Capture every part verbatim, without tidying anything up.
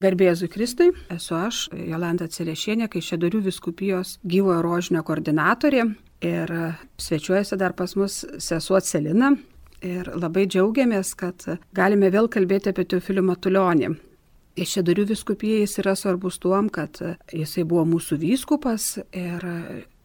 Garbė Jėzui Kristui, esu aš, Jolanta Cerešienė, Kaišiadorių vyskupijos gyvojo rožinio koordinatorė ir svečiuojasi dar pas mus sesuo Celina ir labai džiaugiamės, kad galime vėl kalbėti apie Teofilių Matulionį. Kaišiadorių vyskupijai jis yra svarbus tuom, kad jisai buvo mūsų vyskupas ir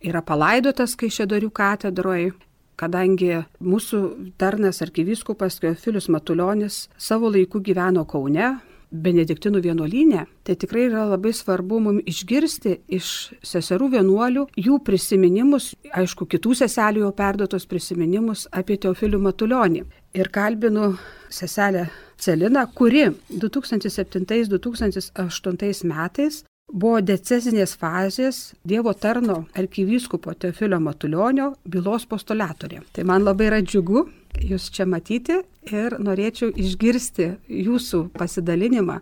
yra palaidotas Kaišiadorių katedroje. Kadangi mūsų tarnas arkivyskupas Teofilius Matulionis savo laiku gyveno Kaune, Benediktinų vienuolyne, tai tikrai yra labai svarbu mums išgirsti iš seserų vienuolių jų prisiminimus, aišku, kitų seselių jau perduotos prisiminimus apie Teofilių Matulionį. Ir kalbinu seselę Celiną, kuri du tūkstantis septintais - du tūkstantis aštuntais metais buvo decezinės fazės Dievo tarno arkivyskupo Teofilio Matulionio bylos postulatorė. Tai man labai yra džiugu jūs čia matyti ir norėčiau išgirsti jūsų pasidalinimą.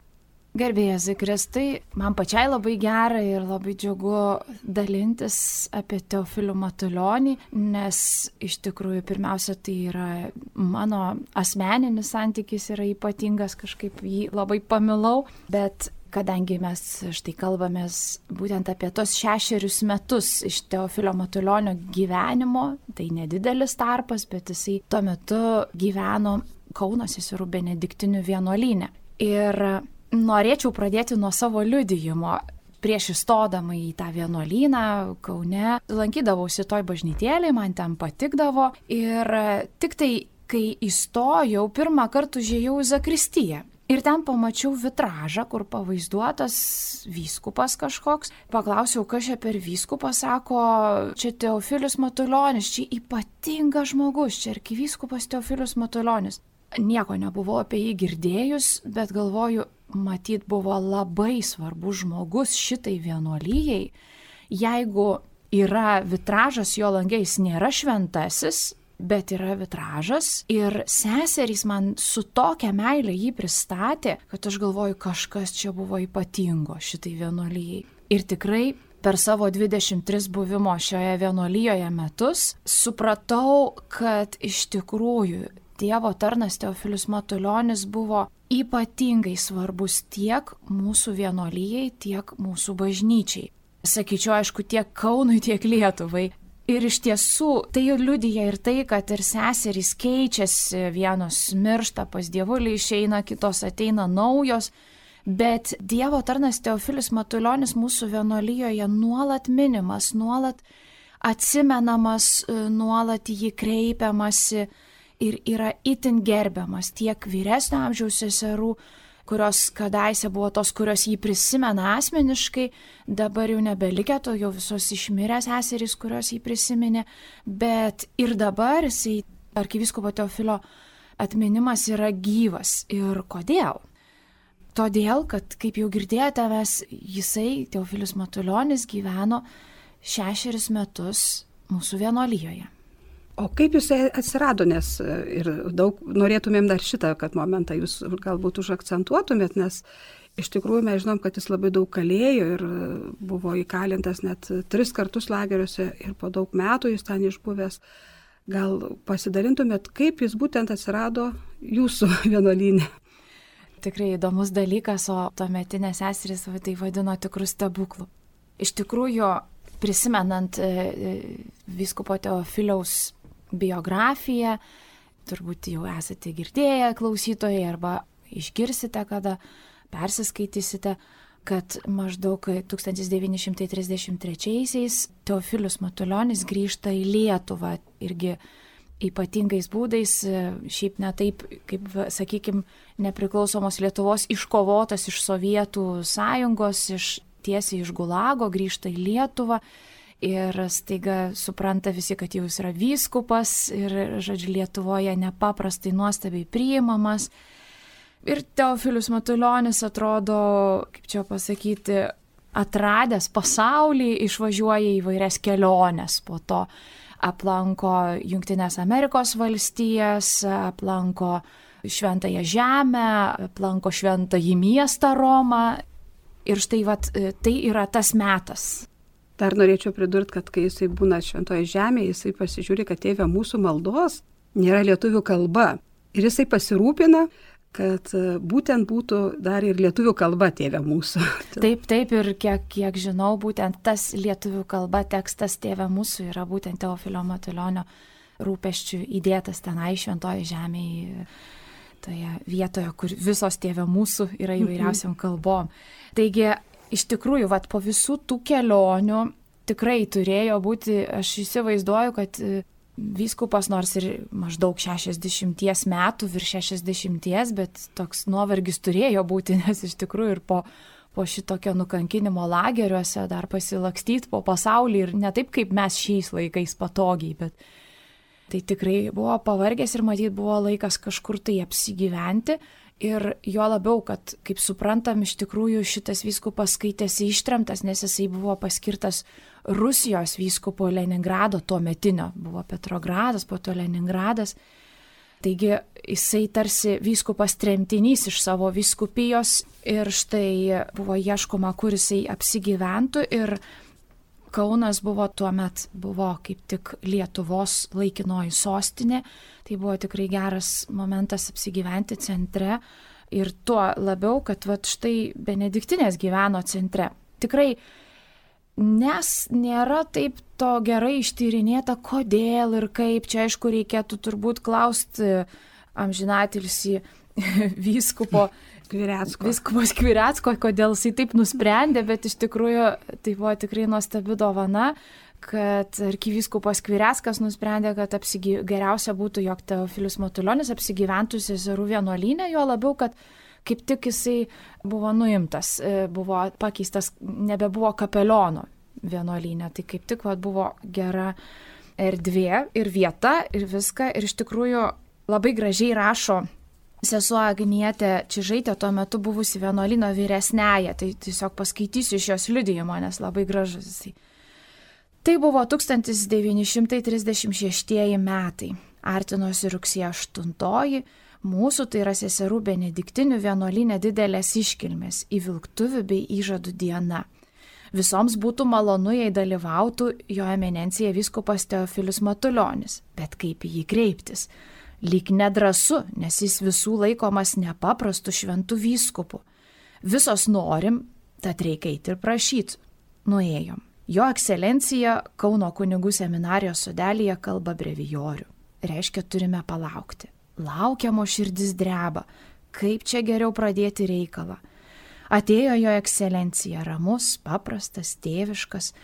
Garbė Jėzui Kristui, man pačiai labai gera ir labai džiugu dalintis apie Teofilių Matulionį, nes iš tikrųjų pirmiausia tai yra mano asmeninis santykis yra ypatingas, kažkaip jį labai pamilau, bet kadangi mes štai kalbamės būtent apie tos šešerius metus iš Teofilio Matulionio gyvenimo, tai nedidelis tarpas, bet jisai tuo metu gyveno Kauno seserų Benediktinių vienuolyne. Ir norėčiau pradėti nuo savo liudijimo. Prieš įstodama į tą vienuolyną Kaune lankydavausi toj bažnytėlėj, man ten patikdavo ir tik tai, kai įstojau, pirmą kartą užėjau į zakristiją. Ir ten pamačiau vitražą, kur pavaizduotas vyskupas kažkoks. Paklausiau, kas čia per vyskupas, sako, čia Teofilius Matulionis, čia ypatingas žmogus, čia arkivyskupas Teofilius Matulionis. Nieko nebuvau apie jį girdėjus, bet galvoju, matyt buvo labai svarbus žmogus šitai vienuolijai. Jeigu yra vitražas jo lange, jis nėra šventasis, bet yra vitražas ir seserys man su tokia meilė jį pristatė, kad aš galvoju, kažkas čia buvo ypatingo šitai vienuolijai. Ir tikrai per savo dvidešimt tris buvimo šioje vienuolijoje metus supratau, kad iš tikrųjų Dievo tarnas Teofilius Matulionis buvo ypatingai svarbus tiek mūsų vienuolijai, tiek mūsų bažnyčiai. Sakyčiau, aišku, tiek Kaunui, tiek Lietuvai. Ir iš tiesų tai liudija ir tai, kad ir seserys keičiasi, vienos miršta, pas dievulį išeina, kitos ateina naujos, bet Dievo tarnas Teofilius Matulionis mūsų vienuolijoje nuolat minimas, nuolat atsimenamas, nuolat jį kreipiamasi ir yra itin gerbiamas tiek vyresnio amžiaus seserų, kurios kadaise buvo tos, kurios jį prisimena asmeniškai, dabar jau nebelikę, to jau visos išmirę seserys, kurios jį prisiminė, bet ir dabar jisai, arkivyskupo Teofilio atminimas yra gyvas. Ir kodėl? Todėl, kad, kaip jau girdėjote, mes, jisai, Teofilius Matulionis, gyveno šešerius metus mūsų vienuolijoje. O kaip jisai atsirado, nes ir daug norėtumėm dar šitą, kad momentą jūs galbūt užakcentuotumėt, nes iš tikrųjų mes žinom, kad jis labai daug kalėjo ir buvo įkalintas net tris kartus lageriuose ir po daug metų jis ten išbuvęs. Gal pasidalintumėt, kaip jis būtent atsirado jūsų vienuolyne? Tikrai įdomus dalykas, o tuometinės seserys tai vadino tikrų stebuklų. Iš tikrųjų, prisimenant vyskupo Teofiliaus biografiją, turbūt jau esate girdėję klausytojai arba išgirsite, kada persiskaitysite, kad maždaug tūkstantis devyni šimtai trisdešimt trečiaisiais Teofilius Matulionis grįžta į Lietuvą irgi ypatingais būdais, šiaip ne taip, kaip, sakykime, nepriklausomos Lietuvos iškovotas iš Sovietų sąjungos, iš, tiesiai iš Gulago, grįžta į Lietuvą. Ir staiga supranta visi, kad jau jis yra vyskupas ir, žodžiu, Lietuvoje nepaprastai nuostabiai priimamas. Ir Teofilius Matulionis atrodo, kaip čia pasakyti, atradęs pasaulį, išvažiuoja į vairias keliones. Po to aplanko Jungtinės Amerikos valstijas, aplanko Šventąją Žemę, aplanko Šventąjį miestą Romą. Ir štai vat, tai yra tas metas. Dar norėčiau pridurti, kad kai jisai būna Šventoje Žemėje, jisai pasižiūri, kad tėve mūsų maldos nėra lietuvių kalba. Ir jisai pasirūpina, kad būtent būtų dar ir lietuvių kalba Tėve mūsų. Taip, taip, ir kiek, kiek žinau, būtent tas lietuvių kalba tekstas Tėve mūsų yra būtent Teofilio Matulionio rūpesčių įdėtas tenai šventoje žemėje, toje vietoje, kur visos Tėve mūsų yra įvairiausiam kalbom. Taigi, iš tikrųjų, vat, po visų tų kelionių tikrai turėjo būti, aš įsivaizduoju, kad vyskupas nors ir maždaug šešiasdešimties metų, virš šešiasdešimties, bet toks nuovargis turėjo būti, nes iš tikrųjų ir po, po šitokio nukankinimo lageriuose dar pasilakstyti po pasaulį ir ne taip, kaip mes šiais laikais patogiai, bet tai tikrai buvo pavargęs ir matyt buvo laikas kažkur tai apsigyventi. Ir jo labiau, kad, kaip suprantam, iš tikrųjų šitas vyskupas skaitėsi ištremtas, nes jisai buvo paskirtas Rusijos vyskupo Leningrado tuo metinio. Buvo Petrogradas, po to Leningradas. Taigi jisai tarsi vyskupas tremtinys iš savo vyskupijos ir štai buvo ieškoma, kur jisai apsigyventų ir Kaunas buvo tuo met, buvo kaip tik Lietuvos laikinoji sostinė, tai buvo tikrai geras momentas apsigyventi centre ir tuo labiau, kad vat štai Benediktinės gyveno centre. Tikrai, nes nėra taip to gerai ištyrinėta, kodėl ir kaip, čia aišku reikėtų turbūt klausti amžinatilsį vyskupo Skvirecko. Vyskupas Skvirecko, kodėl jisai taip nusprendė, bet iš tikrųjų tai buvo tikrai nuostabi dovana, kad arkivyskupas Skvireckas nusprendė, kad apsigy... geriausia būtų, jog Teofilius Matulionis apsigyventų seserų vienuolyne, jo labiau, kad kaip tik jisai buvo nuimtas, buvo pakeistas, nebebuvo kapeliono vienuolyne, tai kaip tik vat, buvo gera erdvė ir vieta ir viską ir iš tikrųjų labai gražiai rašo sesuo Agnietė Čižaitė, tuo metu buvusi vienuolyno vyresnėje, tai tiesiog paskaitysiu iš jos liudijimo, nes labai gražus jisai. Tai buvo tūkstantis devyni šimtai trisdešimt šeštieji metai, artinosi rugsėjo aštuntoji, mūsų tai yra seserų benediktinių vienuolyne didelės iškilmės, įvilktuvių bei įžadų diena. Visoms būtų malonu, jei dalyvautų jo eminencija vyskupas Teofilius Matulionis, bet kaip į jį kreiptis? Lyg nedrasu, nes jis visų laikomas nepaprastu šventų vyskupų. Visos norim, tad reikia eiti ir prašyti. Nuėjom. Jo ekscelencija Kauno kunigų seminarijos sodelyje kalba brevijorių. Reiškia, turime palaukti. Laukiamo širdis dreba. Kaip čia geriau pradėti reikalą? Atėjo jo ekscelencija, ramus, paprastas, tėviškas.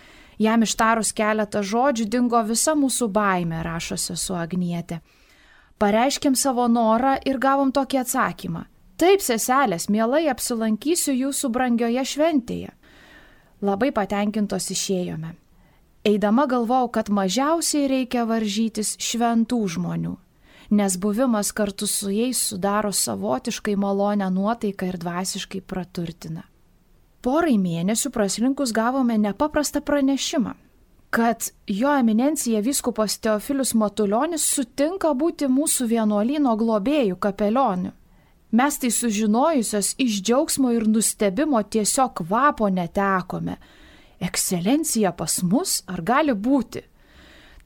Jam ištarus keletą žodžių dingo visa mūsų baimė, rašo sesuo Agnietė. Pareiškėm savo norą ir gavom tokį atsakymą. Taip, seselės, mielai apsilankysiu jūsų brangioje šventėje. Labai patenkintos išėjome. Eidama galvojau, kad mažiausiai reikia varžytis šventų žmonių, nes buvimas kartu su jais sudaro savotiškai malonę nuotaiką ir dvasiškai praturtina. Porai mėnesių praslinkus gavome nepaprastą pranešimą, kad jo eminencija vyskupas Teofilius Matulionis sutinka būti mūsų vienuolyno globėjų kapelioniu. Mes tai sužinojusios iš džiaugsmo ir nustebimo tiesiog kvapo netekome. Ekscelencija pas mus ar gali būti?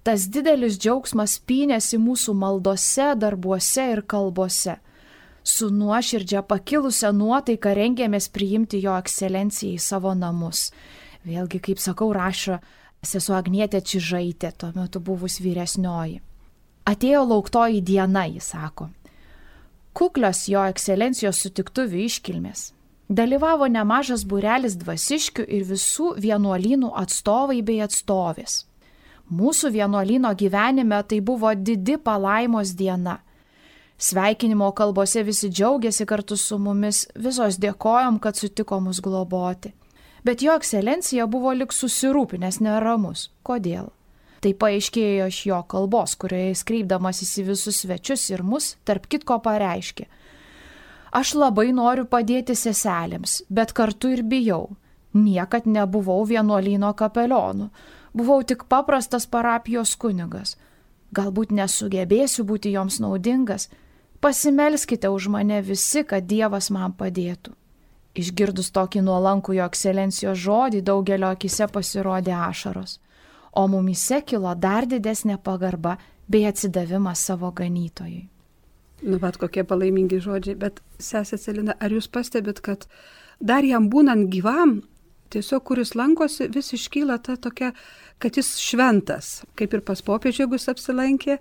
Tas didelis džiaugsmas pynėsi mūsų maldose, darbuose ir kalbose. Su nuoširdžia pakilusią nuotaiką rengėmės priimti jo ekscelenciją į savo namus. Vėlgi, kaip sakau, rašo sesuo Agnietė Čižaitė, tuo metu buvus vyresnioji. Atėjo lauktoji diena, jis sako. Kuklios jo ekscelencijos sutiktuvių iškilmės. Dalyvavo nemažas būrelis dvasiškių ir visų vienuolynų atstovai bei atstovės. Mūsų vienuolyno gyvenime tai buvo didi palaimos diena. Sveikinimo kalbose visi džiaugiasi kartu su mumis, visos dėkojom, kad sutiko mus globoti. Bet jo ekscelencija buvo lik susirūpinęs neramus. Kodėl? Tai paaiškėjo iš jo kalbos, kurioje jis kreipdamasis į visus svečius ir mus, tarp kitko pareiškė. Aš labai noriu padėti seselėms, bet kartu ir bijau. Niekad nebuvau vienuolyno kapelionu. Buvau tik paprastas parapijos kunigas. Galbūt nesugebėsiu būti joms naudingas. Pasimelskite už mane visi, kad Dievas man padėtų. Išgirdus tokį nuolankų jo ekscelencijos žodį, daugelio akise pasirodė ašaros, o mumyse kilo dar didesnė pagarba bei atsidavimas savo ganytojui. Nu, bet kokie palaimingi žodžiai. Bet, sesė Celina, ar jūs pastebit, kad dar jam būnant gyvam, tiesiog kuris lankosi, vis iškyla ta tokia, kad jis šventas, kaip ir pas popiežių, jeigu jis apsilankė.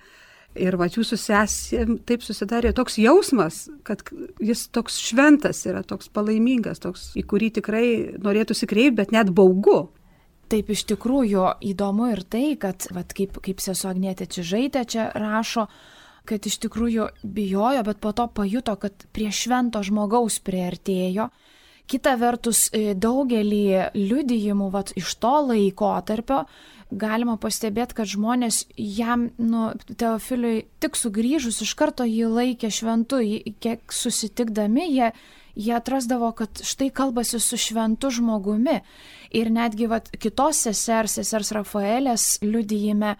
Ir va, jūsų sesė taip susidarė toks jausmas, kad jis toks šventas yra, toks palaimingas, toks, į kurį tikrai norėtųsi kreipti, bet net baugu. Taip, iš tikrųjų įdomu ir tai, kad, vat, kaip, kaip sesuo Agnietė Čižaitė čia rašo, kad iš tikrųjų bijojo, bet po to pajuto, kad prie švento žmogaus priartėjo. Kita vertus, daugelį liudijimų vat, iš to laikotarpio galima pastebėti, kad žmonės jam, nu, Teofiliui tik sugrįžus iš karto jį laikė šventu, kiek susitikdami jie, jie atrasdavo, kad štai kalbasi su šventu žmogumi. Ir netgi vat, kitos sesers, sesers Rafaelės liudijime,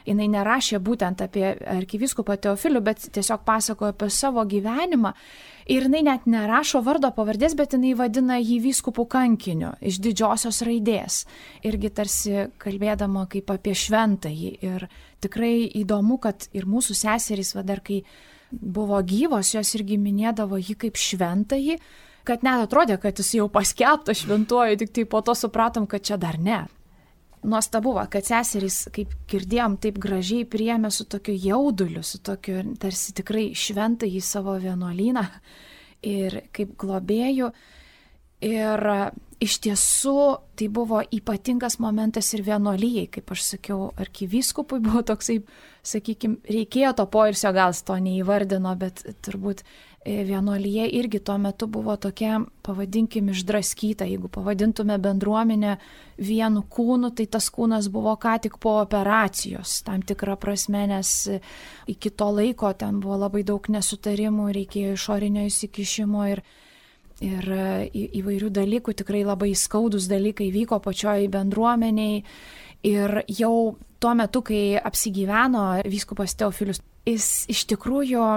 jinai nerašė būtent apie arkivyskupą Teofilių, bet tiesiog pasakojo apie savo gyvenimą. Ir jinai net nerašo vardo pavardės, bet jinai vadina jį vyskupų kankiniu iš didžiosios raidės. Irgi tarsi kalbėdama kaip apie šventąjį. Ir tikrai įdomu, kad ir mūsų seserys, va dar kai buvo gyvos, jos irgi minėdavo jį kaip šventąjį, kad net atrodė, kad jis jau paskelbtas šventuoju, tik tai po to supratom, kad čia dar ne. Nuostabu, kad seserys, kaip girdėjom, taip gražiai priėmė su tokiu jauduliu, su tokiu tarsi tikrai šventąjį savo vienuolyną ir kaip globėjų. Ir iš tiesų tai buvo ypatingas momentas ir vienuolijai, kaip aš sakiau, arkivyskupui buvo toksai, sakykime, reikėjo to poilsio, gal jis to neįvardino, bet turbūt vienuolyje irgi tuo metu buvo tokia, pavadinkim, išdraskyta. Jeigu pavadintume bendruomenę vienu kūnu, tai tas kūnas buvo ką tik po operacijos, tam tikrą prasme, nes iki to laiko ten buvo labai daug nesutarimų, reikėjo išorinio įsikišimo ir, ir į, įvairių dalykų, tikrai labai skaudus dalykai vyko pačioj bendruomeniai. Ir jau tuo metu, kai apsigyveno vyskupas Teofilius, jis iš tikrųjų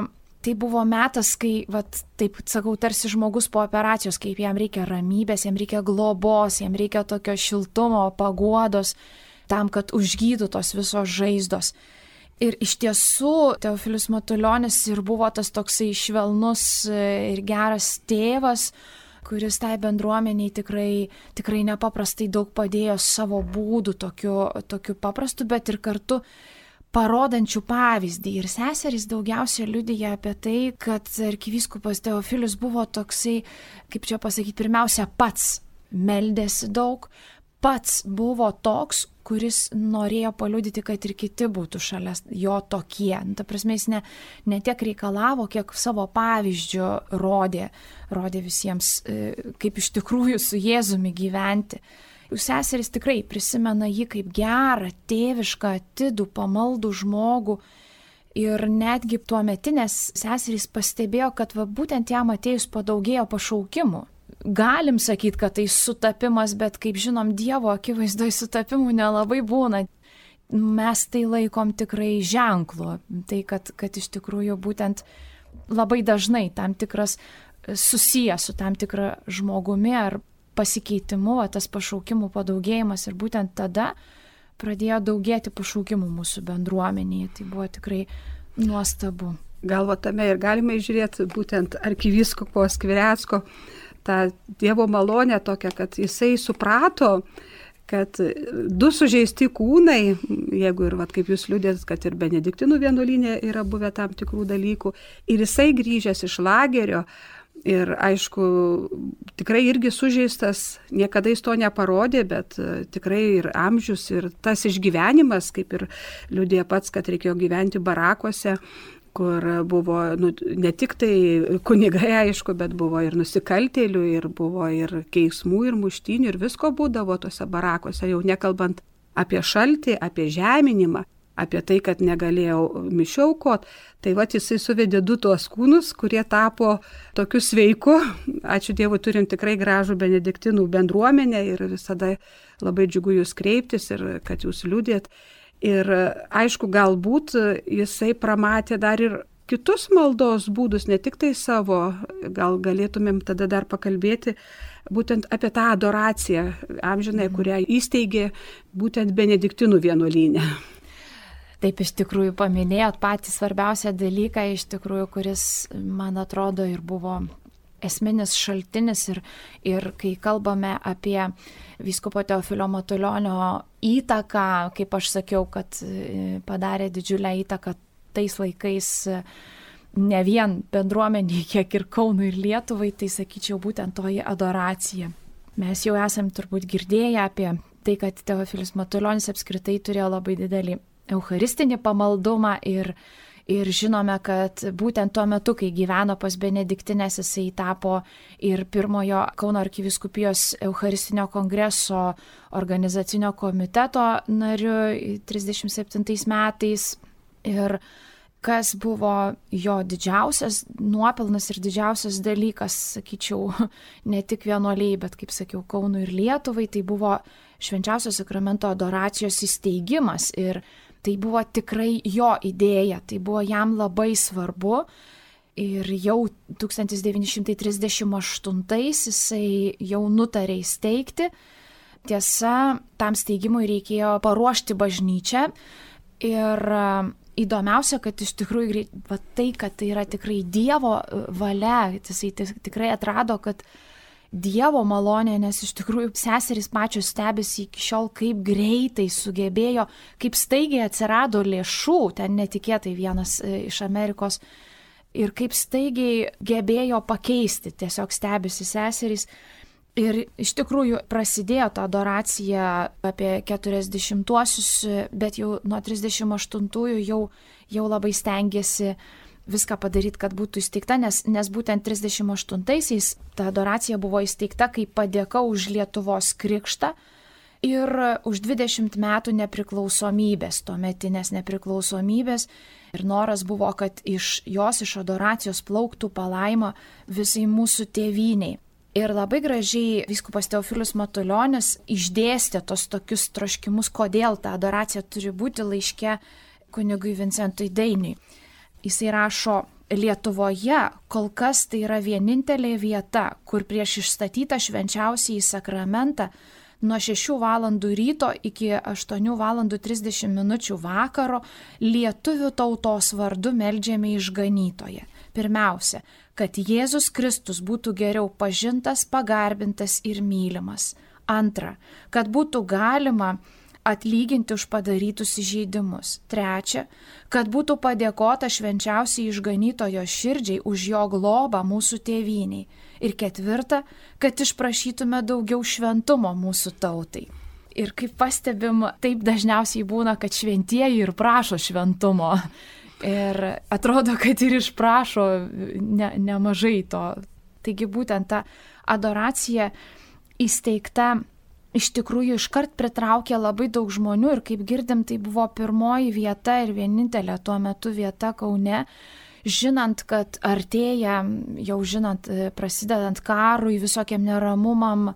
tai buvo metas, kai, vat, taip sakau, tarsi žmogus po operacijos, kaip jam reikia ramybės, jam reikia globos, jam reikia tokio šiltumo, paguodos, tam, kad užgytų tos visos žaizdos. Ir iš tiesų Teofilius Matulionis ir buvo tas toksai švelnus ir geras tėvas, kuris tai bendruomeniai tikrai, tikrai nepaprastai daug padėjo savo būdų, tokiu, tokiu paprastu, bet ir kartu parodančių pavyzdį. Ir seserys daugiausia liudija apie tai, kad arkivyskupas Teofilius buvo toksai, kaip čia pasakyti, pirmiausia pats meldėsi daug, pats buvo toks, kuris norėjo paliudyti, kad ir kiti būtų šalia jo tokie. Ta prasme, jis ne, ne tiek reikalavo, kiek savo pavyzdžių rodė, rodė visiems, kaip iš tikrųjų su Jėzumi gyventi. Seserys tikrai prisimena jį kaip gerą, tėvišką, atidų, pamaldų žmogų ir netgi tuometinės seserys pastebėjo, kad va, būtent jam atėjus padaugėjo pašaukimų. Galim sakyti, kad tai sutapimas, bet kaip žinom, Dievo akivaizdoje sutapimų nelabai būna. Mes tai laikom tikrai ženklu, tai kad, kad iš tikrųjų būtent labai dažnai tam tikras susijęs su tam tikra žmogumi ar pasikeitimu, tas pašaukimų padaugėjimas ir būtent tada pradėjo daugėti pašaukimų mūsų bendruomenėje. Tai buvo tikrai nuostabu. Galvo tame ir galime žiūrėti būtent arkivyskupo Skvirecko tą Dievo malonę tokią, kad jisai suprato, kad du sužeisti kūnai, jeigu ir, vat, kaip jūs liudėt, kad ir Benediktinų vienuolyne yra buvę tam tikrų dalykų, ir jisai grįžęs iš lagerio, ir aišku, tikrai irgi sužeistas, niekada jis to neparodė, bet tikrai ir amžius, ir tas išgyvenimas, kaip ir liudija pats, kad reikėjo gyventi barakuose, kur buvo nu, ne tik tai kunigai, aišku, bet buvo ir nusikaltėlių, ir buvo ir keismų, ir muštynių, ir visko būdavo tose barakuose, jau nekalbant apie šaltį, apie žeminimą, apie tai, kad negalėjau mišių aukot. Tai va, jisai suvedė du tuos kūnus, kurie tapo tokiu sveiku. Ačiū Dievui, turim tikrai gražų benediktinų bendruomenę ir visada labai džiugu jūs kreiptis ir kad jūs liudėt. Ir aišku, galbūt jisai pramatė dar ir kitus maldos būdus, ne tik tai savo, gal galėtumėm tada dar pakalbėti būtent apie tą adoraciją amžinai, kurią įsteigė būtent Benediktinų vienuolyne. Taip, iš tikrųjų paminėjot patį svarbiausią dalyką, iš tikrųjų, kuris, man atrodo, ir buvo esminis šaltinis ir, ir kai kalbame apie vyskupo Teofilio Matulionio įtaką, kaip aš sakiau, kad padarė didžiulę įtaką tais laikais ne vien bendruomeniai, kiek ir Kaunui ir Lietuvai, tai sakyčiau būtent toji adoracija. Mes jau esam turbūt girdėję apie tai, kad Teofilis Matulionis apskritai turėjo labai didelį eucharistinį pamaldumą ir, ir žinome, kad būtent tuo metu, kai gyveno pas Benediktinės, jisai tapo ir pirmojo Kauno arkivyskupijos Eucharistinio kongreso organizacinio komiteto nariu trisdešimt septintais metais. Ir kas buvo jo didžiausias nuopelnas ir didžiausias dalykas, sakyčiau, ne tik vienuoliai, bet, kaip sakiau, Kaunui ir Lietuvai, tai buvo švenčiausio sakramento adoracijos įsteigimas. Ir tai buvo tikrai jo idėja, tai buvo jam labai svarbu. Ir jau tūkstantis devyni šimtai trisdešimt aštuntais jisai jau nutarė įsteigti. Tiesa, tam steigimui reikėjo paruošti bažnyčią. Ir įdomiausia, kad iš tikrųjų va, tai, kad tai yra tikrai Dievo valia, jisai tikrai atrado, kad Dievo malonė, nes iš tikrųjų seserys pačios stebisi iki šiol, kaip greitai sugebėjo, kaip staigiai atsirado lėšų, ten netikėtai vienas iš Amerikos, ir kaip staigiai gebėjo pakeisti, tiesiog stebisi seserys. Ir iš tikrųjų prasidėjo ta adoracija apie keturiasdešimtuosius, bet jau nuo trisdešimt aštuntųjų jau, jau labai stengiasi viską padaryti, kad būtų įsteigta, nes, nes būtent trisdešimt aštuntaisiais ta adoracija buvo įsteigta kaip padėka už Lietuvos krikštą ir už dvidešimt metų nepriklausomybės, tuometinės nepriklausomybės. Ir noras buvo, kad iš jos, iš adoracijos plauktų palaima visai mūsų tėvyniai. Ir labai gražiai vyskupas Teofilis Matulionis išdėstė tos tokius troškimus, kodėl ta adoracija turi būti laiške kunigui Vincentui Dainiui. Jisai rašo, Lietuvoje kol kas tai yra vienintelė vieta, kur prieš išstatytą švenčiausiąjį sakramentą nuo šešių valandų ryto iki aštuonių valandų trisdešimt minučių vakaro lietuvių tautos vardu meldžiame išganytoją. Pirmiausia, kad Jėzus Kristus būtų geriau pažintas, pagarbintas ir mylimas. Antra, kad būtų galima atlyginti už padarytus įžeidimus. Trečia, kad būtų padėkota švenčiausiai išganytojo širdžiai už jo globą mūsų tėvyniai. Ir ketvirta, kad išprašytume daugiau šventumo mūsų tautai. Ir kaip pastebim, taip dažniausiai būna, kad šventieji ir prašo šventumo. Ir atrodo, kad ir išprašo ne, nemažai to. Taigi būtent ta adoracija įsteigta iš tikrųjų iškart pritraukė labai daug žmonių ir kaip girdim, tai buvo pirmoji vieta ir vienintelė tuo metu vieta Kaune, žinant, kad artėja, jau žinant, prasidedant karui, visokiam neramumam,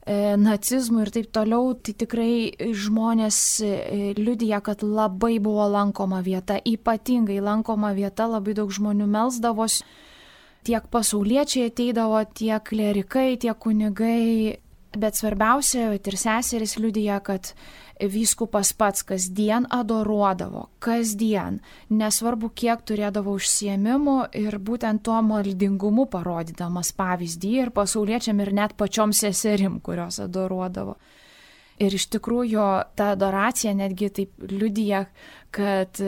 nacizmui ir taip toliau, tai tikrai žmonės liudija, kad labai buvo lankoma vieta, ypatingai lankoma vieta, labai daug žmonių melsdavosi, tiek pasauliečiai ateidavo, tiek klerikai, tiek kunigai. Bet svarbiausia, ir seserys liudija, kad vyskupas pats kasdien adoruodavo, kasdien, nesvarbu kiek turėdavo užsiėmimų ir būtent tuo maldingumu parodydamas pavyzdį ir pasauliečiam ir net pačiom seserim, kurios adoruodavo. Ir iš tikrųjų ta adoracija netgi taip liudija, kad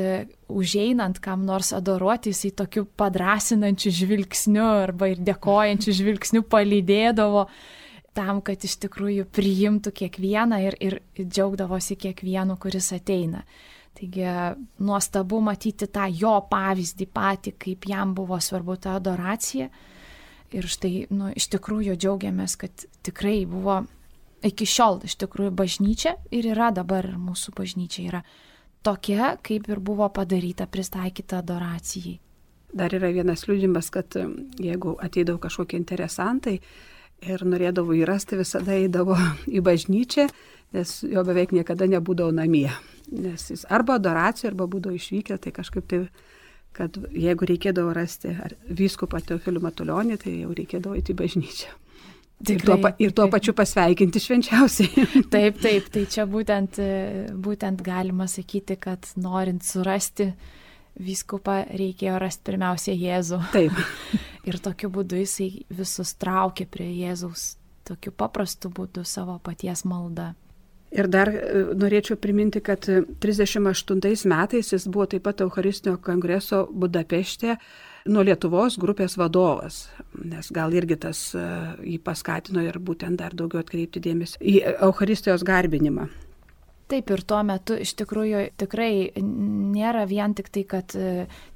užeinant kam nors adoruoti, jisai tokiu padrasinančiu žvilgsniu arba ir dėkojančiu žvilgsniu palydėdavo, tam, kad iš tikrųjų priimtų kiekvieną ir, ir džiaugdavosi kiekvienu, kuris ateina. Taigi nuostabu matyti tą jo pavyzdį patį, kaip jam buvo svarbu ta adoracija. Ir štai, nu, iš tikrųjų džiaugiamės, kad tikrai buvo iki šiol iš tikrųjų bažnyčia ir yra dabar ir mūsų bažnyčia yra tokia, kaip ir buvo padaryta, pristaikyta adoracijai. Dar yra vienas liudijimas, kad jeigu ateidavo kažkokie interesantai, ir norėdavo įrasti, visada eidavo į bažnyčią, nes jo beveik niekada nebūdavo namie. Nes jis arba adoracijoje, arba būdavo išvykę, tai kažkaip tai, kad jeigu reikėdavo rasti vyskupą Teofilių Matulionį, tai jau reikėdavo eiti į bažnyčią. Ir tuo, pa, ir tuo pačiu pasveikinti švenčiausiai. Taip, taip, tai čia būtent, būtent galima sakyti, kad norint surasti vyskupą reikėjo rasti pirmiausia Jėzų. Taip. Ir tokiu būdu jisai visus traukė prie Jėzaus, tokiu paprastu būdu savo paties malda. Ir dar norėčiau priminti, kad trisdešimt aštuntais metais jis buvo taip pat Eucharistinio kongreso Budapešte nuo Lietuvos grupės vadovas, nes gal irgi tas jį paskatino ir būtent dar daugiau atkreipti dėmesį į Eucharistijos garbinimą. Taip, ir tuo metu iš tikrųjų tikrai nėra vien tik tai, kad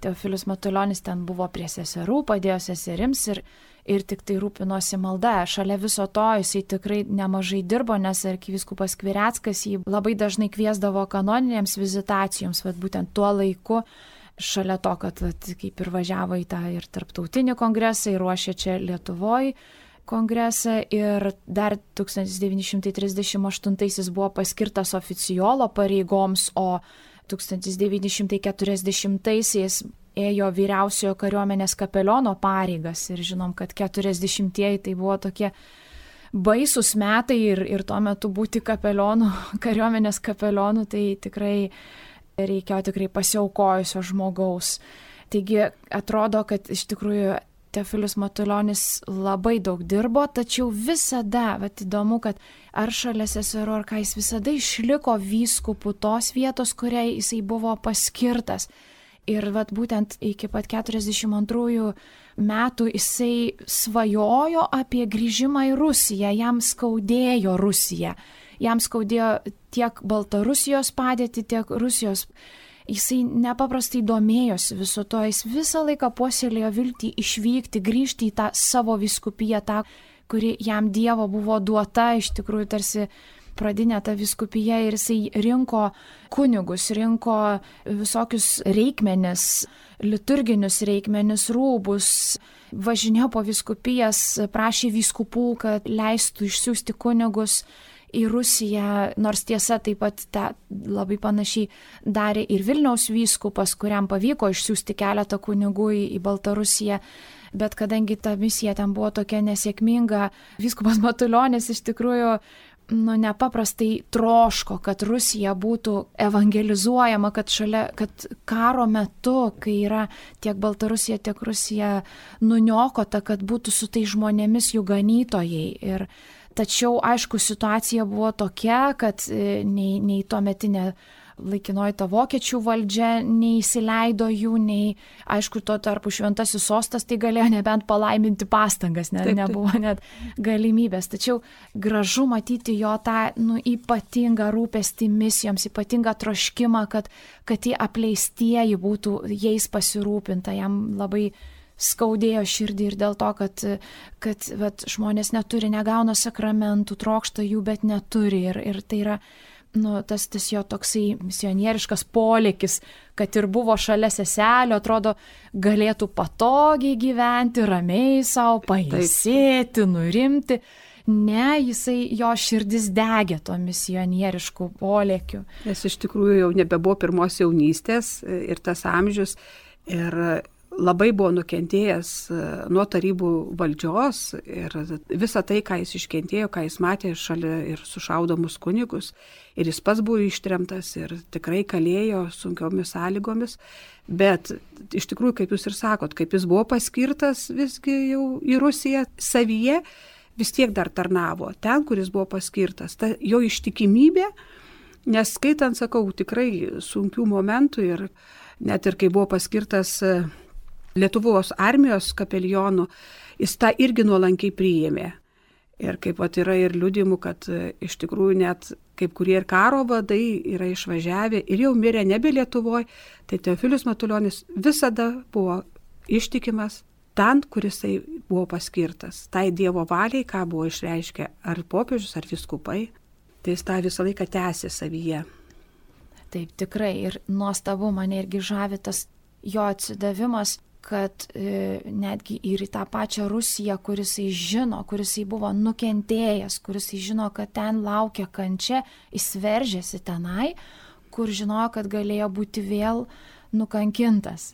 Teofilius Matulionis ten buvo prie seserų, padėjo seserims ir, ir tik tai rūpinosi malda. Šalia viso to jisai tikrai nemažai dirbo, nes arkivyskupas Skvireckas jį labai dažnai kviesdavo kanoninėms vizitacijoms, bet būtent tuo laiku, šalia to, kad vat, kaip ir važiavo į tą ir tarptautinį kongresą, ir ruošė čia Lietuvoje kongresą, ir dar tūkstantis devyni šimtai trisdešimt aštuntaisiais buvo paskirtas oficiolo pareigoms, o tūkstantis devyni šimtai keturiasdešimtaisiais ėjo vyriausiojo kariuomenės kapeliono pareigas, ir žinom, kad keturiasdešimtieji tai buvo tokie baisus metai, ir, ir tuo metu būti kapelionu, kariuomenės kapelionu, tai tikrai reikėjo tikrai pasiaukojusio žmogaus. Taigi atrodo, kad iš tikrųjų Teofilius Matulionis labai daug dirbo, tačiau visada, vat įdomu, kad ar šalia seserų, ar ką, jis visada išliko vyskupu tos vietos, kuriai jisai buvo paskirtas. Ir vat būtent iki pat keturiasdešimt antrųjų metų jisai svajojo apie grįžimą į Rusiją, jam skaudėjo Rusija. Jam skaudėjo tiek Baltarusijos padėtį, tiek Rusijos. Jisai nepaprastai domėjosi viso to, jis visą laiką puoselėjo viltį išvykti, grįžti į tą savo vyskupiją, tą, kuri jam Dievo buvo duota, iš tikrųjų tarsi pradinė ta vyskupija, ir jisai rinko kunigus, rinko visokius reikmenis, liturginius reikmenis, rūbus, važinėjo po vyskupijas, prašė vyskupų, kad leistų išsiųsti kunigus į Rusiją, nors tiesa taip pat ta, labai panašiai darė ir Vilniaus vyskupas, kuriam pavyko išsiųsti keletą kunigų į, į Baltarusiją, bet kadangi ta misija ten buvo tokia nesėkminga, vyskupas Matulionis iš tikrųjų nu, nepaprastai troško, kad Rusija būtų evangelizuojama, kad, šalia, kad karo metu, kai yra tiek Baltarusija, tiek Rusija nuniokota, kad būtų su tai žmonėmis jų ganytojai. Ir tačiau, aišku, situacija buvo tokia, kad nei, nei tuometinė laikinoji ta vokiečių valdžia neįsileido jų, nei, aišku, tuo tarpu šventasis sostas tai galėjo nebent palaiminti pastangas, ne, taip, taip. Nebuvo net galimybės. Tačiau gražu matyti jo tą nu, ypatingą rūpestį misijoms, ypatingą troškimą, kad, kad tie apleistieji būtų jais pasirūpinta, jam labai skaudėjo širdį ir dėl to, kad, kad vat, žmonės neturi, negauna sakramentų, trokšta jų, bet neturi. Ir, ir tai yra nu, tas, tas jo toksai misionieriškas polėkis, kad ir buvo šalia seselio, atrodo, galėtų patogiai gyventi, ramiai savo, pailsėti, nurimti. Ne, jisai, jo širdis degė to misionieriškų polėkių. Nes iš tikrųjų jau nebebuvo pirmos jaunystės ir tas amžius. Ir labai buvo nukentėjęs nuo tarybų valdžios ir visą tai, ką jis iškentėjo, ką jis matė šalia ir sušaudomus kunigus. Ir jis pats buvo ištremtas ir tikrai kalėjo sunkiomis sąlygomis. Bet iš tikrųjų, kaip jūs ir sakot, kaip jis buvo paskirtas visgi jau į Rusiją savyje, vis tiek dar tarnavo ten, kur jis buvo paskirtas. Ta jo ištikimybė, nes skaitant, sakau, tikrai sunkių momentų ir net ir kai buvo paskirtas Lietuvos armijos kapelionu, jis tą irgi nuolankiai priėmė. Ir kaip pat yra ir liudimų, kad iš tikrųjų net kaip kurie ir karo vadai yra išvažiavę ir jau mirė nebe Lietuvoje, tai Teofilius Matulionis visada buvo ištikimas ten, kur jisai buvo paskirtas. Tai Dievo valiai, ką buvo išreiškę ar popiežius, ar viskupai, tai jis tą visą laiką tęsė savyje. Taip, tikrai. Ir nuostabu mane irgi žavi tas jo atsidavimas, kad e, netgi ir į tą pačią Rusiją, kuris jis žino, kuris jis buvo nukentėjęs, kuris jis žino, kad ten laukia kančia, jis veržėsi tenai, kur žinojo, kad galėjo būti vėl nukankintas.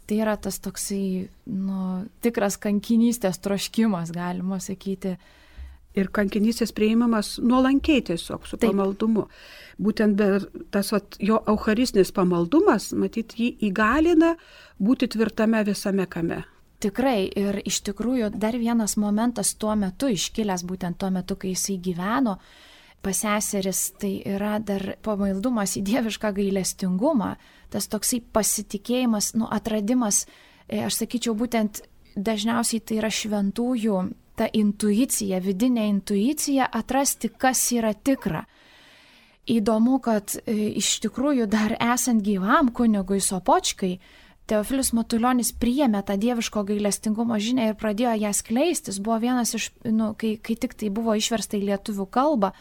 Tai yra tas toksai nu, tikras kankinystės troškimas, galima sakyti, ir kankinystės prieimamas nuolankiai tiesiog su Taip. pamaldumu. Būtent be tas vat, jo eucharistinis pamaldumas, matyt, jį įgalina būti tvirtame visame kame. Tikrai, ir iš tikrųjų dar vienas momentas tuo metu iškilęs, būtent tuo metu, kai jisai gyveno pas seseris, tai yra dar pamaldumas į dievišką gailestingumą, tas toksai pasitikėjimas, nu, atradimas, aš sakyčiau, būtent dažniausiai tai yra šventųjų ta intuicija, vidinė intuicija atrasti, kas yra tikra. Įdomu, kad iš tikrųjų dar esant gyvam kunigui Sopočkai, Teofilius Matulionis priėmė tą dieviško gailestingumo žinią ir pradėjo ją skleistis. Buvo vienas iš, nu, kai, kai tik tai buvo išversta į lietuvių kalbą,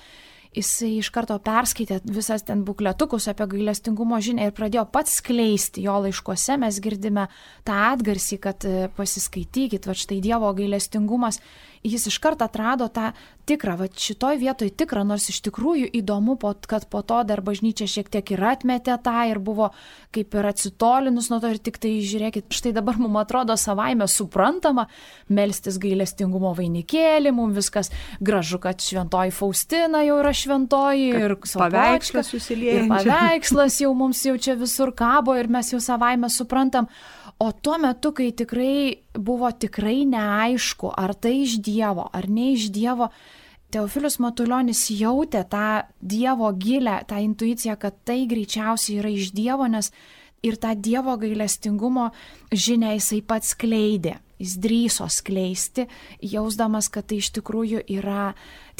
jisai iš karto perskaitė visas ten bukletukus apie gailestingumo žinią ir pradėjo pats skleisti. Jo laiškuose mes girdime tą atgarsį, kad pasiskaitykit, va štai Dievo gailestingumas. Jis iš karto atrado tą tikrą, va šitoj vietoj tikrą, nors iš tikrųjų įdomu, kad po to dar bažnyčia šiek tiek ir atmetė tą ir buvo kaip ir atsitolinus nuo to ir tik tai žiūrėkit, štai dabar mums atrodo savaime suprantama melstis gailestingumo vainikėlį, mums viskas gražu, kad šventoji Faustina jau yra šventoji kad ir paveikslas susiliejančias. Ir paveikslas jau mums jau čia visur kabo ir mes jau savaime suprantam. O tuo metu, kai tikrai buvo tikrai neaišku, ar tai iš Dievo, ar ne iš Dievo, Teofilius Matulionis jautė tą Dievo gilę, tą intuiciją, kad tai greičiausiai yra iš Dievo, nes ir tą Dievo gailestingumo žinią jisai pats skleidė. Jis drįso skleisti, jausdamas, kad tai iš tikrųjų yra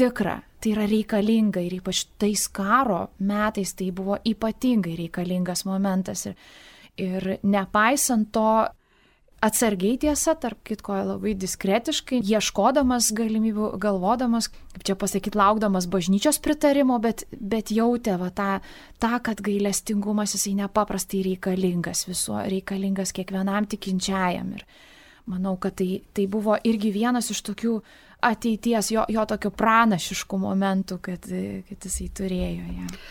tikra, tai yra reikalinga ir ypač tais karo metais tai buvo ypatingai reikalingas momentas. Ir Ir nepaisant to, atsargiai tiesa, tarp kitko labai diskretiškai, ieškodamas galimybių, galvodamas, kaip čia pasakyti, laukdamas bažnyčios pritarimo, bet, bet jautė va, tą, tą, kad gailestingumas jisai nepaprastai reikalingas, visuo reikalingas kiekvienam tikinčiajam. Ir manau, kad tai, tai buvo irgi vienas iš tokių ateities, jo, jo tokių pranašiškų momentų, kad, kad jisai turėjo ją. Ja.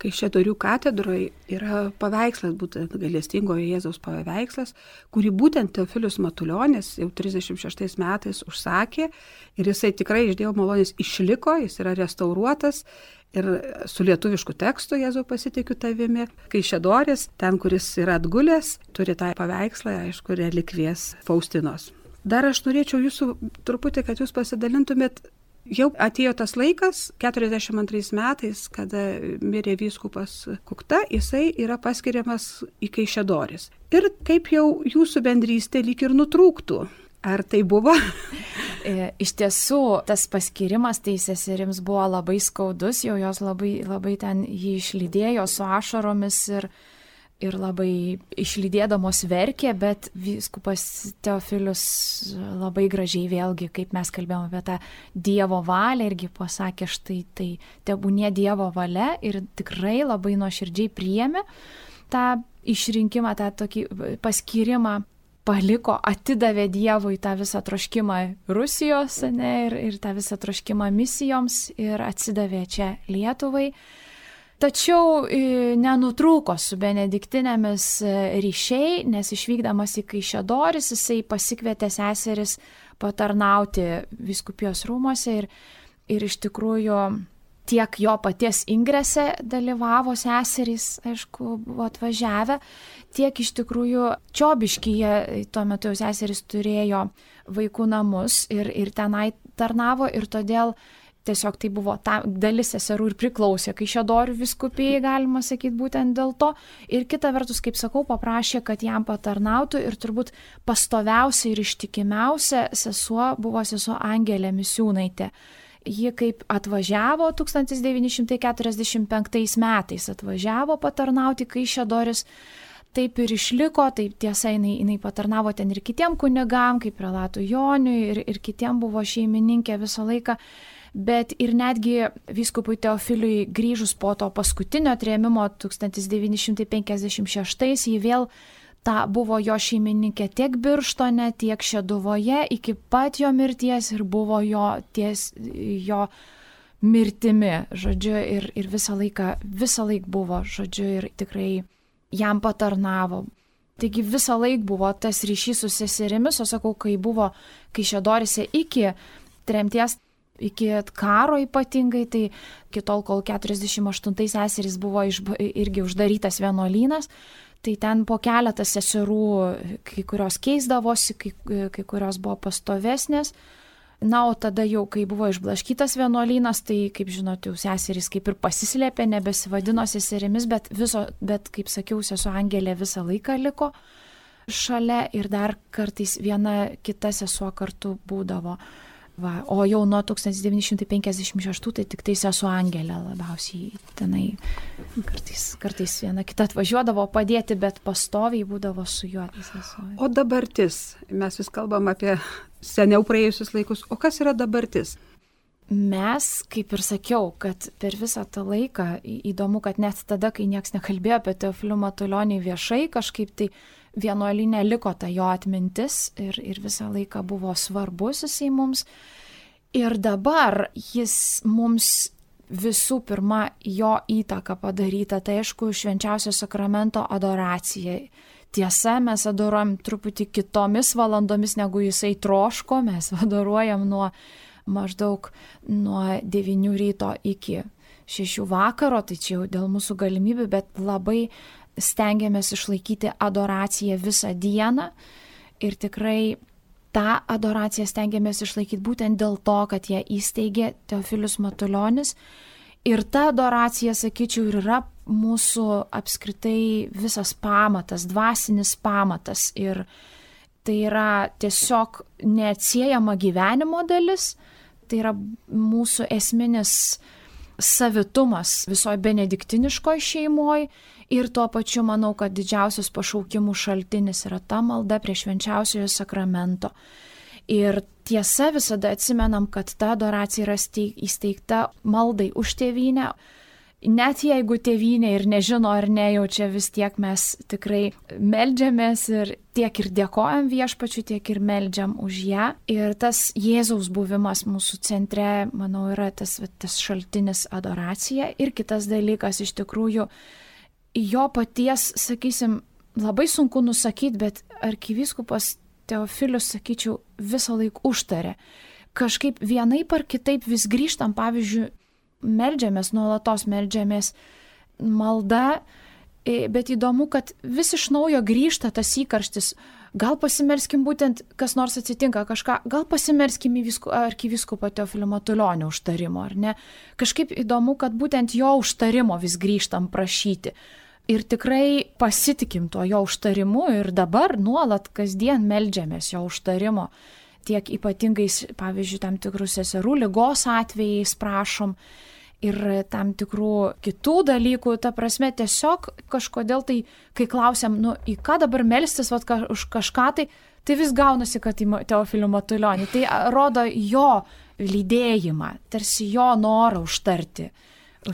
Kaišiadorių katedroje yra paveikslas, būtent gailestingojo Jėzaus paveikslas, kurį būtent Teofilius Matulionis jau trisdešimt šeštais metais užsakė ir jisai tikrai iš Dievo malonės išliko, jis yra restauruotas ir su lietuvišku tekstu Jėzau pasitikiu tavimi. Kaišiadoris, ten, kuris yra atgulęs, turi tą paveikslą, aišku, relikvijas Faustinos. Dar aš norėčiau jūsų truputį, kad jūs pasidalintumėt. Jau atėjo tas laikas, keturiasdešimt antrais metais, kada mirė vyskupas Kukta, jisai yra paskiriamas į Kaišiadoris. Ir kaip jau jūsų bendrystė lyg ir nutrūktų. Ar tai buvo? Iš tiesų, tas paskirimas tai seserims buvo labai skaudus, jau jos labai, labai ten jį išlydėjo su ašaromis ir ir labai išlydėdamos verkė, bet vyskupas Teofilius labai gražiai vėlgi, kaip mes kalbėjome apie tą Dievo valią, irgi pasakė, štai tai tebūnie Dievo valia ir tikrai labai nuoširdžiai priėmė tą išrinkimą, tą tokį paskyrimą, paliko, atidavė Dievui tą visą troškimą Rusijos, ne, ir, ir tą visą troškimą misijoms ir atsidavė čia Lietuvai. Tačiau nenutrūko su benediktinėmis ryšiai, nes išvykdamas į Kaišiadoris jisai pasikvietė seseris patarnauti vyskupijos rūmose ir, ir iš tikrųjų tiek jo paties ingrese dalyvavo seserys, aišku, buvo atvažiavę, tiek iš tikrųjų Čiobiškyje tuo metu jau seserys turėjo vaikų namus ir, ir tenai tarnavo ir todėl tiesiog tai buvo ta dalis seserų ir priklausė Kaišiadorių vyskupijai, galima sakyti, būtent dėl to. Ir kita vertus, kaip sakau, paprašė, kad jam patarnautų ir turbūt pastoviausia ir ištikimiausia sesuo buvo sesuo Angelė Misiūnaitė. Ji kaip atvažiavo tūkstantis devyni šimtai keturiasdešimt penktais metais, atvažiavo patarnauti Kaišiadoris, taip ir išliko, taip tiesa, jinai, jinai patarnavo ten ir kitiem kunigam, kaip prelatui Joniui ir, ir kitiem buvo šeimininkė visą laiką. Bet ir netgi vyskupui Teofiliui grįžus po to paskutinio trėmimo tūkstantis devyni šimtai penkiasdešimt šeštais, jį vėl ta buvo jo šeimininkė tiek Birštone, tiek Šeduvoje iki pat jo mirties ir buvo jo, ties, jo mirtimi, žodžiu, ir, ir visą laiką, visą laiką buvo, žodžiu, ir tikrai jam patarnavo. Taigi visą laiką buvo tas ryšys su seserimis, o sakau, kai buvo Kaišiadorise iki tremties, iki karo ypatingai, tai iki tol, kol keturiasdešimt aštuntais seserys buvo išba, irgi uždarytas vienuolynas, tai ten po keletą seserų, kai kurios keisdavosi, kai, kai kurios buvo pastovesnės. Na, o tada jau, kai buvo išblaškytas vienuolynas, tai, kaip žinot, jau seserys kaip ir pasislėpė, nebesivadino seserimis, bet, viso, bet kaip sakiau, sesuo Angelė visą laiką liko šalia ir dar kartais viena kita sesuo kartu būdavo. Va, o jau nuo tūkstantis devyni šimtai penkiasdešimt šeštų tai tik tai sesuo Angelė labiausiai tenai kartais, kartais viena kita atvažiuodavo padėti, bet pastoviai būdavo su juo. O dabartis, mes vis kalbam apie seniau praėjusius laikus, o kas yra dabartis? Mes, kaip ir sakiau, kad per visą tą laiką, įdomu, kad net tada, kai niekas nekalbėjo apie Teofilių Matulionį viešai, kažkaip tai vienuolyne liko ta jo atmintis ir, ir visą laiką buvo svarbus jisai mums. Ir dabar jis mums visų pirma jo įtaka padaryta, tai aišku, švenčiausio sakramento adoracija. Tiesa, mes adoruojam truputį kitomis valandomis, negu jisai troško, mes adoruojam nuo maždaug nuo devynių ryto iki šešių vakaro, tai čia jau dėl mūsų galimybių, bet labai stengiamės išlaikyti adoraciją visą dieną ir tikrai tą adoraciją stengiamės išlaikyti būtent dėl to, kad ją įsteigė Teofilius Matulionis. Ir ta adoracija, sakyčiau, ir yra mūsų apskritai visas pamatas, dvasinis pamatas. Ir tai yra tiesiog neatsiejama gyvenimo dalis, tai yra mūsų esminis savitumas visoje benediktiniškoje šeimoje. Ir tuo pačiu manau, kad didžiausias pašaukimų šaltinis yra ta malda prie švenčiausiojo sakramento. Ir tiesa, visada atsimenam, kad ta adoracija yra įsteigta maldai už tėvynę. Net jeigu tėvynė ir nežino ar nejaučia, vis tiek mes tikrai meldžiamės ir tiek ir dėkojam viešpačiui, tiek ir meldžiam už ją. Ir tas Jėzaus buvimas mūsų centre, manau, yra tas, tas šaltinis adoracija. Ir kitas dalykas, iš tikrųjų, jo paties, sakysim, labai sunku nusakyti, bet arkivyskupas Teofilius, sakyčiau, visą laiką užtarė. Kažkaip vienaip ar kitaip vis grįžtam, pavyzdžiui, meldžiamės, nuolatos meldžiamės malda, bet įdomu, kad vis iš naujo grįžta tas įkarštis. Gal pasimelskim būtent, kas nors atsitinka kažką, gal pasimelskim į arkivyskupą Teofilių Matulionį užtarimo, ar ne? Kažkaip įdomu, kad būtent jo užtarimo vis grįžtam prašyti. Ir tikrai pasitikim tuo jo užtarimu ir dabar nuolat kasdien meldžiamės jo užtarimo. Tiek ypatingais, pavyzdžiui, tam tikrų seserų ligos atvejais prašom ir tam tikrų kitų dalykų. Ta prasme, tiesiog kažkodėl tai, kai klausiam, nu, į ką dabar melstis, vat, ka, už kažką, tai, tai vis gaunasi, kad į Teofilių Matulionį. Tai rodo jo lydėjimą, tarsi jo norą užtarti.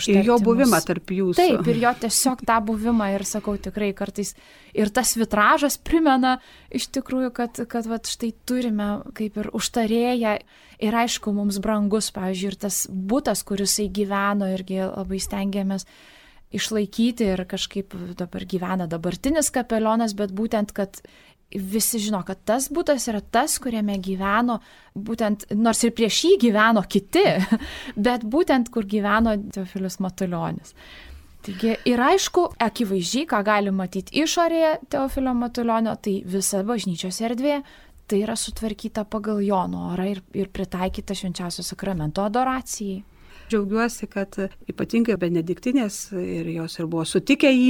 Ir jo buvimą tarp jūsų. Taip, ir jo tiesiog tą buvimą ir sakau tikrai kartais. Ir tas vitražas primena iš tikrųjų, kad, kad vat, štai turime kaip ir užtarėją ir aišku mums brangus, pavyzdžiui, ir tas butas, kuris jisai gyveno, irgi labai stengiamės išlaikyti ir kažkaip dabar gyvena dabartinis kapelionas, bet būtent, kad visi žino, kad tas butas yra tas, kuriame gyveno, būtent, nors ir prieš jį gyveno kiti, bet būtent, kur gyveno Teofilius Matulionis. Taigi, ir aišku, akivaizdžiai, ką galim matyti išorėje Teofilio Matulionio, tai visa bažnyčios erdvė, tai yra sutvarkyta pagal jo norą ir, ir pritaikyta švenčiausio sakramento adoracijai. Džiaugiuosi, kad ypatingai benediktinės ir jos ir buvo sutikę jį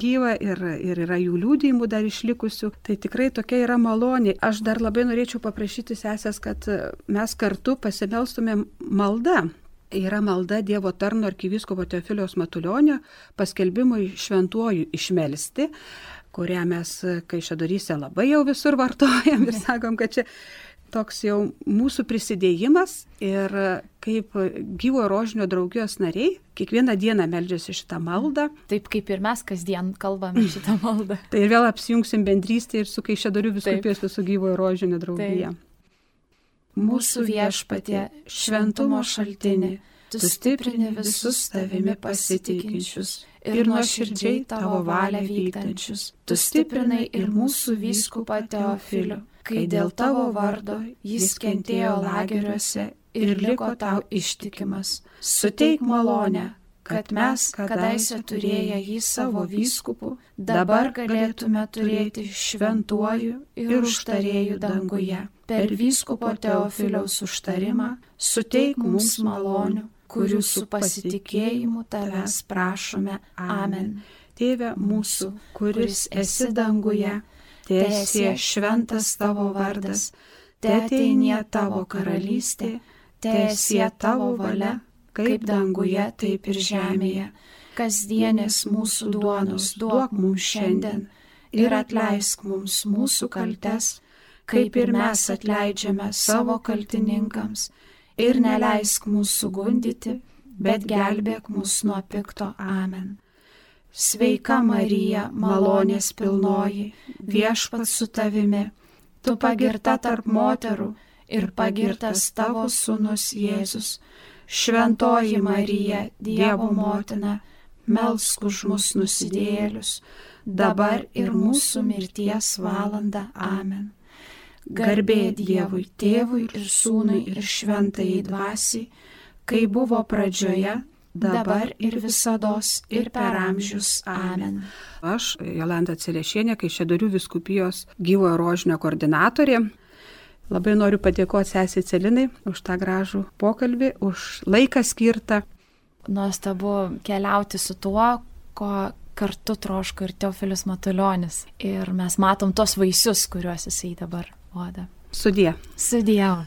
gyvą ir, ir yra jų liudijimų dar išlikusių. Tai tikrai tokia yra malonė. Aš dar labai norėčiau paprašyti sesės, kad mes kartu pasimelstumėm maldą. Yra malda Dievo tarno arkivyskupo Teofiliaus Matulionio paskelbimui šventuoju išmelsti, kurią mes Kaišiadoryse labai jau visur vartojam ir sakom, kad čia toks jau mūsų prisidėjimas ir kaip gyvo rožinio draugijos nariai kiekvieną dieną meldžiasi šitą maldą. Taip kaip ir mes kasdien kalbame šitą maldą. Tai ir vėl apsijungsim bendrystę ir su Kaišiadorių vyskupijos visų gyvo rožinio draugija. Mūsų viešpatie, šventumo šaltinį, tu stiprini visus tavimi pasitikinčius ir nuoširdžiai tavo valią vykdančius. Tu stiprinai ir mūsų vyskupą Teofilių, kai dėl tavo vardo jis kentėjo lageriuose ir liko tau ištikimas. Suteik malonę, kad mes, kadaise turėję jį savo vyskupu, dabar galėtume turėti šventuoju ir užtarėju danguje. Per vyskupo Teofiliaus užtarimą suteik mums malonių, kurių su pasitikėjimu tavęs prašome. Amen. Tėve mūsų, kuris esi danguje, teesie šventas tavo vardas, teateinie tavo karalystė, teesie tavo valia, kaip danguje, taip ir žemėje. Kasdienės mūsų duonos duok mums šiandien ir atleisk mums mūsų kaltes, kaip ir mes atleidžiame savo kaltininkams, ir neleisk mūsų gundyti, bet gelbėk mus nuo pikto. Amen. Sveika Marija, malonės pilnoji, viešpats su tavimi, tu pagirta tarp moterų ir pagirtas tavo sūnus Jėzus. Šventoji Marija, Dievo motina, melsk už mus nusidėjėlius, dabar ir mūsų mirties valanda. Amen. Garbė Dievui, Tėvui ir Sūnui ir Šventajai Dvasiai, kai buvo pradžioje, dabar ir visados ir per amžius. Amen. Aš, Jolanta Cerešienė, Kaišiadorių vyskupijos Gyvojo rožinio koordinatorė, labai noriu padėkoti sesei Celinai už tą gražų pokalbį, už laiką skirtą. Nuostabu keliauti su tuo, ko kartu troško ir Teofilis Matulionis. Ir mes matom tos vaisius, kuriuos jisai dabar duoda. Sudie. Sudie.